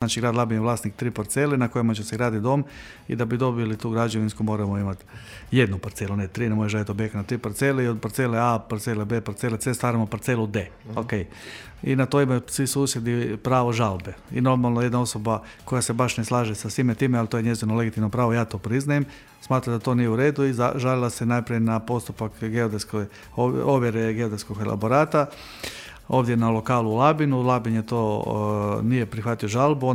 Znači, grad Labin je vlasnik 3 parcele na kojima će se graditi dom i da bi dobili tu građevinsku moramo imati jednu parcelu, ne 3, ne može raditi objekt na 3 parcele i od parcele A, parcele B, parcele C stvaramo parcelu D. Okay. I na to imaju svi susjedi pravo žalbe. I normalno jedna osoba koja se baš ne slaže sa svime time, ali to je njezino legitimno pravo, ja to priznajem, smatra da to nije u redu i žalila se najprije na postupak ovjere geodetskog elaborata. Ovdje na lokalu u Labinu, Labin je to nije prihvatio žalbu,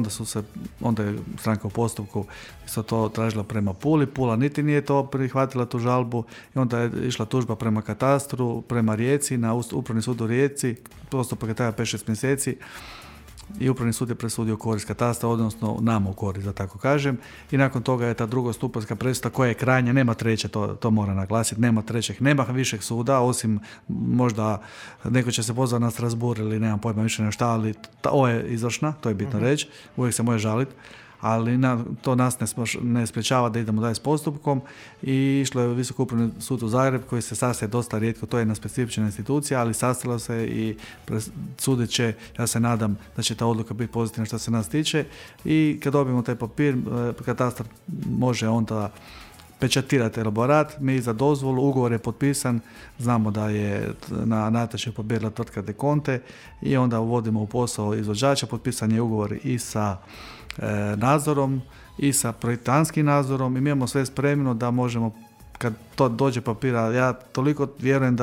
onda je stranka u postupku isto to tražila prema Puli, Pula niti nije to prihvatila tu žalbu i onda je išla tužba prema katastru, prema Rijeci, na Upravni sud u Rijeci, postupak je trajao 5-6 mjeseci i Upravni sud je presudio korist katastra, odnosno nama u korist, da tako kažem. I nakon toga je ta drugostupanjska presuda koja je krajnja, nema treće, to mora naglasiti, nema trećeg, nema višeg suda, osim možda neko će se pozvati na Strasbourg ili nemam pojma više na šta, ali ovo je izvršna, to je bitno reći, uvijek se može žaliti. Ali to nas ne sprječava da idemo dalje s postupkom i išlo je Visoki upravni sud u Zagreb koji se sastaje dosta rijetko, to je jedna specifična institucija, ali sastala se i sudit će, ja se nadam da će ta odluka biti pozitivna što se nas tiče i kad dobijemo taj papir, katastar može onda pečatirati elaborat, mi za dozvolu, ugovor je potpisan, znamo da je na natječaju pobijedila tvrtka De Conte i onda uvodimo u posao izvođača, potpisan je ugovor i sa nadzorom i sa projektantskim nadzorom i mi imamo sve spremno da možemo, kad to dođe papira, ja toliko vjerujem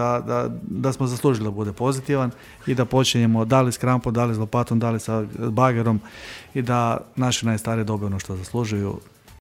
da smo zaslužili da bude pozitivan i da počinjemo da li s krampom, da li s lopatom, da li sa bagerom i da naši najstariji dobiju ono što zaslužuju.